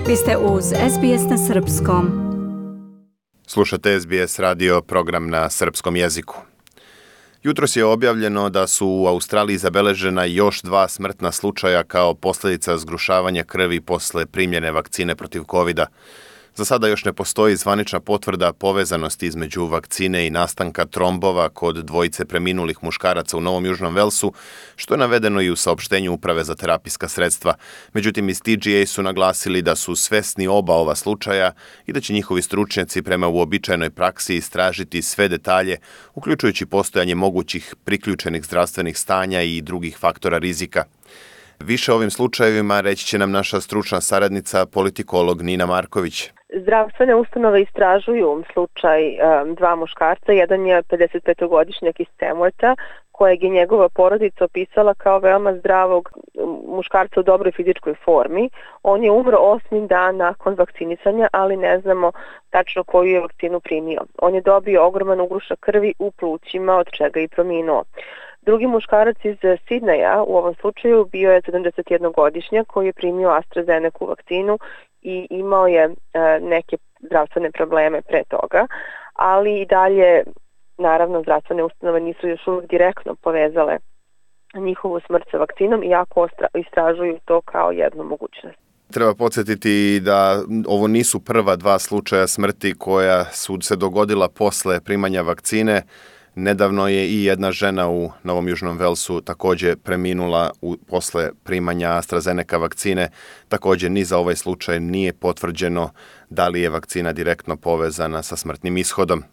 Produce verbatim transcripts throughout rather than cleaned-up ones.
Vi ste uz S B S na srpskom. Slušate S B S radio, program na srpskom jeziku. Jutros je objavljeno da su u Australiji zabeležena još dva smrtna slučaja kao posljedica zgrušavanja krvi posle primljene vakcine protiv kovida. Za sada još ne postoji zvanična potvrda povezanosti između vakcine i nastanka trombova kod dvojice preminulih muškaraca u Novom Južnom Velsu, što je navedeno i u saopštenju Uprave za terapijska sredstva. Međutim, iz T G A su naglasili da su svesni oba ova slučaja i da će njihovi stručnjaci prema uobičajenoj praksi istražiti sve detalje, uključujući postojanje mogućih priključenih zdravstvenih stanja i drugih faktora rizika. Više o ovim slučajevima reći će nam naša stručna saradnica, politikolog Nina Marković. Zdravstvene ustanove istražuju slučaj um, dva muškarca. Jedan je pedesetpetogodišnjak iz Tamwortha, kojeg je njegova porodica opisala kao veoma zdravog muškarca u dobroj fizičkoj formi. On je umro osmi dan nakon vakcinisanja, ali ne znamo tačno koju je vakcinu primio. On je dobio ogroman ugrušak krvi u plućima, od čega je i preminuo. Drugi muškarac iz Sidneja u ovom slučaju bio je sedamdesetjednogodišnjak koji je primio AstraZeneca vakcinu i imao je e, neke zdravstvene probleme pre toga, ali i dalje, naravno, zdravstvene ustanove nisu još uvijek direktno povezale njihovu smrt sa vakcinom, iako istražuju to kao jednu mogućnost. Treba podsjetiti da ovo nisu prva dva slučaja smrti koja su se dogodila posle primanja vakcine. Nedavno je i jedna žena u Novom Južnom Velsu također preminula u, posle primanja AstraZeneca vakcine. Također ni za ovaj slučaj nije potvrđeno da li je vakcina direktno povezana sa smrtnim ishodom.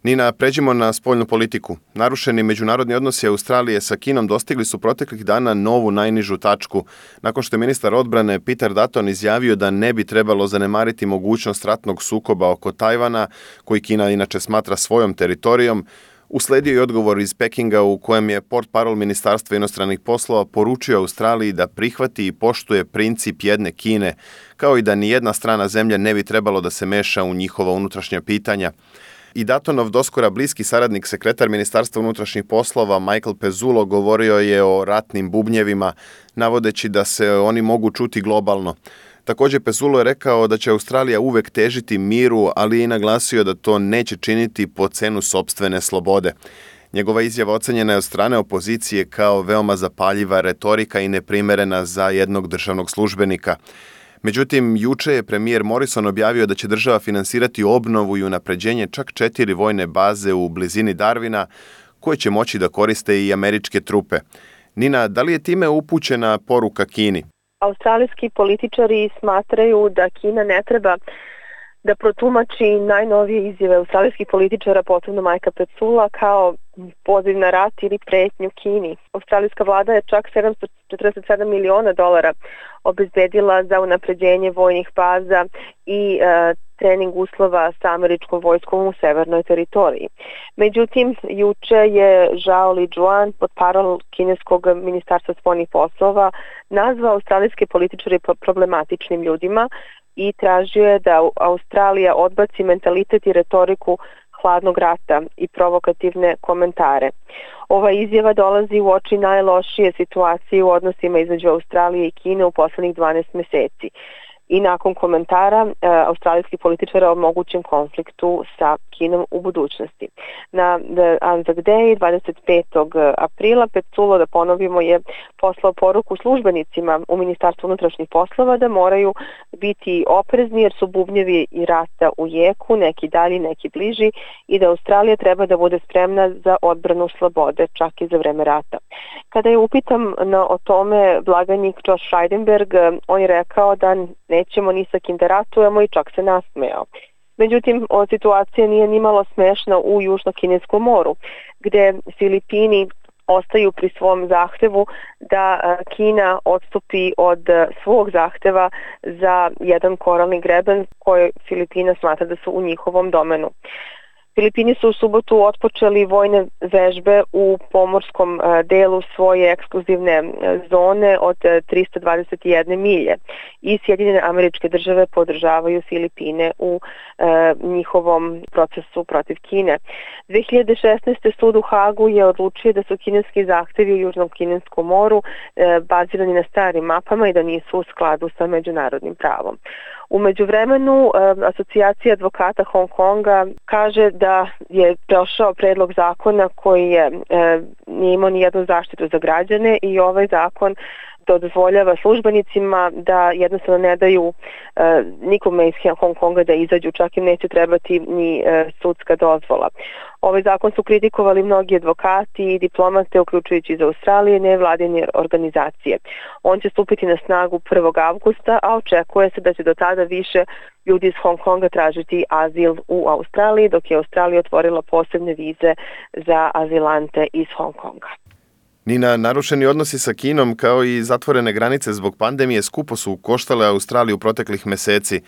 Nina, pređimo na spoljnu politiku. Narušeni međunarodni odnosi Australije sa Kinom dostigli su proteklih dana novu najnižu tačku, nakon što je ministar odbrane Peter Dutton izjavio da ne bi trebalo zanemariti mogućnost ratnog sukoba oko Tajvana, koji Kina inače smatra svojom teritorijom. Usledio je odgovor iz Pekinga u kojem je portparol Ministarstva inostranih poslova poručio Australiji da prihvati i poštuje princip jedne Kine, kao i da ni jedna strana zemlja ne bi trebalo da se meša u njihova unutrašnja pitanja. I Duttonov doskora bliski saradnik sekretar Ministarstva unutrašnjih poslova Michael Pezzullo govorio je o ratnim bubnjevima, navodeći da se oni mogu čuti globalno. Također Pezzullo je rekao da će Australija uvek težiti miru, ali je i naglasio da to neće činiti po cenu sopstvene slobode. Njegova izjava ocenjena je od strane opozicije kao veoma zapaljiva retorika i neprimerena za jednog državnog službenika. Međutim, juče je premijer Morrison objavio da će država finansirati obnovu i unapređenje čak četiri vojne baze u blizini Darwina, koje će moći da koriste i američke trupe. Nina, da li je time upućena poruka Kini? Australijski političari smatraju da Kina ne treba da protumači najnovije izjave australijskih političara, posebno Mikea Pezzulla, kao poziv na rat ili pretnju Kini. Australijska vlada je čak sedamsto četrdeset sedam miliona dolara obezbedila za unapređenje vojnih baza i e, trening uslova sa američkom vojskom u severnoj teritoriji. Međutim, juče je Zhao Lijuan, portparol kineskog ministarstva spoljnih poslova, nazvao australijske političare problematičnim ljudima i tražio je da Australija odbaci mentalitet i retoriku hladnog rata i provokativne komentare. Ova izjava dolazi u oči najlošije situacije u odnosima između Australije i Kine u poslednjih dvanaest meseci. I nakon komentara e, australijskih političara o mogućem konfliktu sa Kinom u budućnosti. Na Anzac Day dvadeset petog aprila Pezzullo, da ponovimo, je poslao poruku službenicima u Ministarstvu unutrašnjih poslova da moraju biti oprezni jer su bubnjevi i rata u jeku, neki dalji, neki bliži, i da Australija treba da bude spremna za odbranu slobode, čak i za vreme rata. Kada je upitam na, o tome blagajnik Josh Frydenberg, on je rekao da nećemo ni sa kim da ratujemo i čak se nasmejao. Međutim, ova situacija nije nimalo smešna u Južno-Kineskom moru, gde Filipini ostaju pri svom zahtevu da Kina odstupi od svog zahteva za jedan koralni greben koji Filipina smatra da su u njihovom domenu. Filipini su u subotu otpočeli vojne vežbe u pomorskom delu svoje ekskluzivne zone od trista dvadeset jedne milje i Sjedinjene Američke Države podržavaju Filipine u e, njihovom procesu protiv Kine. dve hiljade šesnaeste. sud u Hagu je odlučio da su kineski zahtevi u Južnom Kineskom moru e, bazirani na starim mapama i da nisu u skladu sa međunarodnim pravom. U međuvremenu, Asocijacija advokata Hong Konga kaže da je prošao predlog zakona koji je, nije imao nijednu zaštitu za građane i ovaj zakon dozvoljava službenicima da jednostavno ne daju e, nikome iz Hong Konga da izađu, čak im neće trebati ni e, sudska dozvola. Ovaj zakon su kritikovali mnogi advokati i diplomate, uključujući iz Australije, nevladine organizacije. On će stupiti na snagu prvog avgusta, a očekuje se da će do tada više ljudi iz Hong Konga tražiti azil u Australiji, dok je Australija otvorila posebne vize za azilante iz Hong Konga. Nina, narušeni odnosi sa Kinom kao i zatvorene granice zbog pandemije skupo su koštale Australiju proteklih meseci.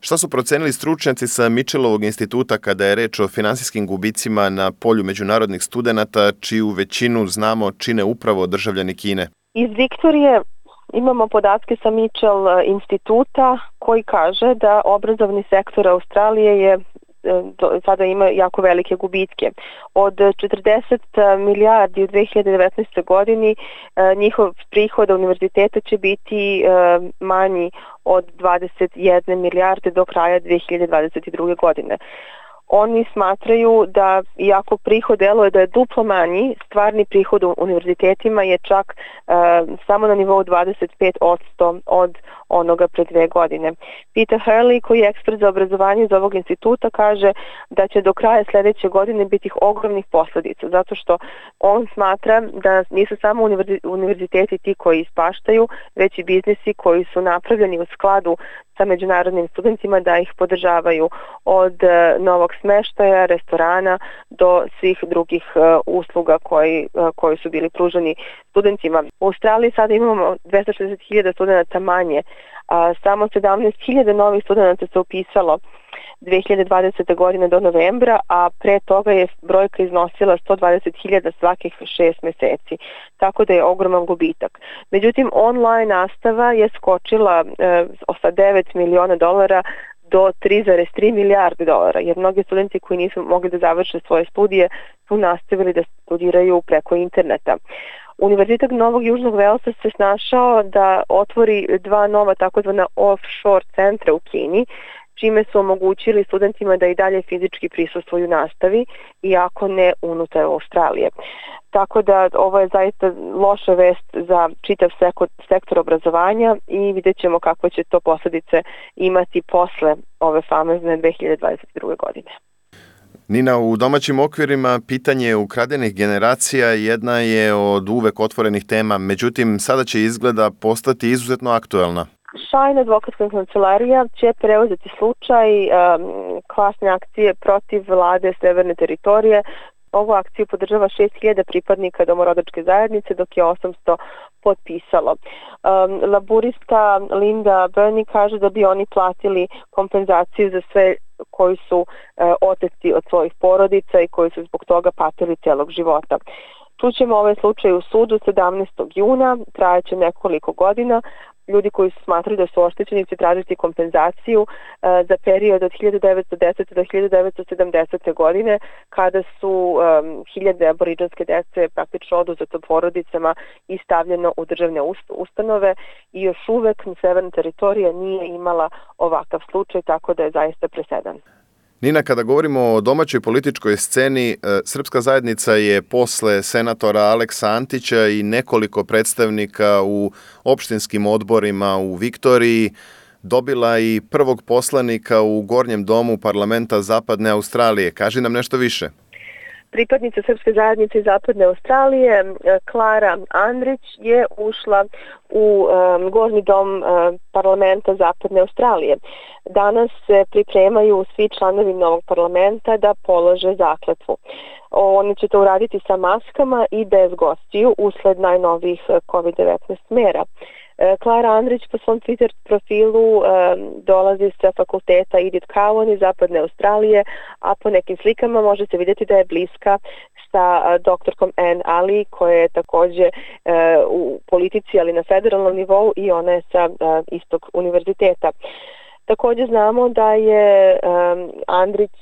Šta su procenili stručnjaci sa Mitchellovog instituta kada je reč o finansijskim gubicima na polju međunarodnih studenata, čiju većinu znamo čine upravo državljani Kine? Iz Viktorije imamo podatke sa Mitchell instituta koji kaže da obrazovni sektor Australije je sada ima jako velike gubitke. Od četrdeset milijardi u dve hiljade devetnaestoj. godini njihov prihod univerziteta će biti manji od dvadeset jedne milijarde do kraja dve hiljade dvadeset druge. godine. Oni smatraju da, iako prihod deluje da je duplo manji, stvarni prihod u univerzitetima je čak e, samo na nivou dvadeset pet posto od onoga pre dve godine. Peter Hurley, koji je ekspert za obrazovanje iz ovog instituta, kaže da će do kraja sledeće godine biti ogromnih posledica, zato što on smatra da nisu samo univerziteti ti koji ispaštaju, već i biznisi koji su napravljeni u skladu sa međunarodnim studentima da ih podržavaju, od novog smeštaja, restorana do svih drugih usluga koji, koji su bili pruženi studentima. U Australiji sada imamo dvesta šezdeset hiljada studenta manje, a samo sedamnaest hiljada novih studenta se upisalo dve hiljade dvadesete. godine do novembra, a pre toga je brojka iznosila sto dvadeset hiljada svakih šest meseci, tako da je ogroman gubitak. Međutim, online nastava je skočila e, sa devet miliona dolara do tri zarez tri milijarde dolara, jer mnogi studenti koji nisu mogli da završe svoje studije su nastavili da studiraju preko interneta. Univerzitet Novog Južnog Velsa se snašao da otvori dva nova takozvana offshore centra u Kini, čime su omogućili studentima da i dalje fizički prisustvuju nastavi, iako ne unutar Australije. Tako da ovo je zaista loša vest za čitav sektor obrazovanja i vidjet ćemo kakve će to posljedice imati posle ove famozne dve hiljade dvadeset druge. godine. Nina, u domaćim okvirima pitanje ukradenih generacija jedna je od uvek otvorenih tema, međutim sada će izgleda postati izuzetno aktuelna. Shine advokatska kancelarija će preuzeti slučaj um, klasne akcije protiv vlade Severne teritorije. Ovu akciju podržava šest hiljada pripadnika domorodačke zajednice, dok je osamsto potpisalo. Um, laburista Linda Burney kaže da bi oni platili kompenzaciju za sve koji su uh, oteti od svojih porodica i koji su zbog toga patili celog života. Čućemo ovaj slučaj u sudu sedamnaestog juna, trajaće nekoliko godina. Ljudi koji su smatrali da su oštećeni će tražiti kompenzaciju uh, za period od hiljadu devetsto desete. do hiljadu devetsto sedamdesete. godine, kada su um, hiljade aboriđanske dece praktično oduzeto porodicama i stavljeno u državne ustanove i još uvek severna teritorija nije imala ovakav slučaj, tako da je zaista presedan. Nina, kada govorimo o domaćoj političkoj sceni, srpska zajednica je posle senatora Aleksa Antića i nekoliko predstavnika u opštinskim odborima u Viktoriji dobila i prvog poslanika u Gornjem domu parlamenta Zapadne Australije. Kaži nam nešto više. Pripadnica Srpske zajednice iz Zapadne Australije, Klara Andrić, je ušla u um, Gornji dom um, parlamenta Zapadne Australije. Danas se pripremaju svi članovi novog parlamenta da polože zakletvu. Oni će to uraditi sa maskama i bez gostiju usled najnovijih kovid devetnaest mera. Klara Andrić po svom Twitter profilu dolazi sa fakulteta Edith Cowan iz Zapadne Australije, a po nekim slikama može se vidjeti da je bliska sa doktorkom Anne Ali, koja je također u politici, ali na federalnom nivou, i ona je sa istog univerziteta. Također znamo da je um, Andrić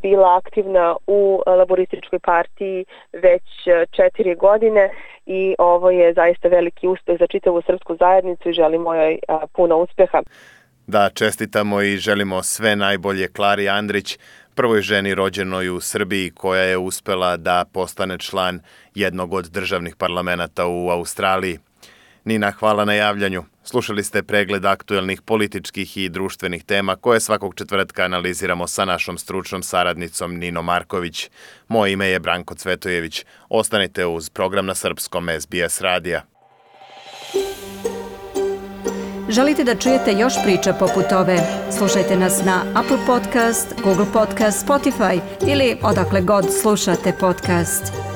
bila aktivna u laborističkoj partiji već četiri godine i ovo je zaista veliki uspjeh za čitavu srpsku zajednicu i želimo joj uh, puno uspjeha. Da, čestitamo i želimo sve najbolje Klari Andrić, prvoj ženi rođenoj u Srbiji koja je uspela da postane član jednog od državnih parlamenata u Australiji. Nina, hvala na javljanju. Slušali ste pregled aktuelnih političkih i društvenih tema koje svakog četvrtka analiziramo sa našom stručnom saradnicom Ninom Marković. Moje ime je Branko Cvetojević. Ostanite uz program na srpskom S B S radija. Želite da čujete još priča poput ove? Slušajte nas na Apple Podcast, Google Podcast, Spotify ili odakle god slušate podcast.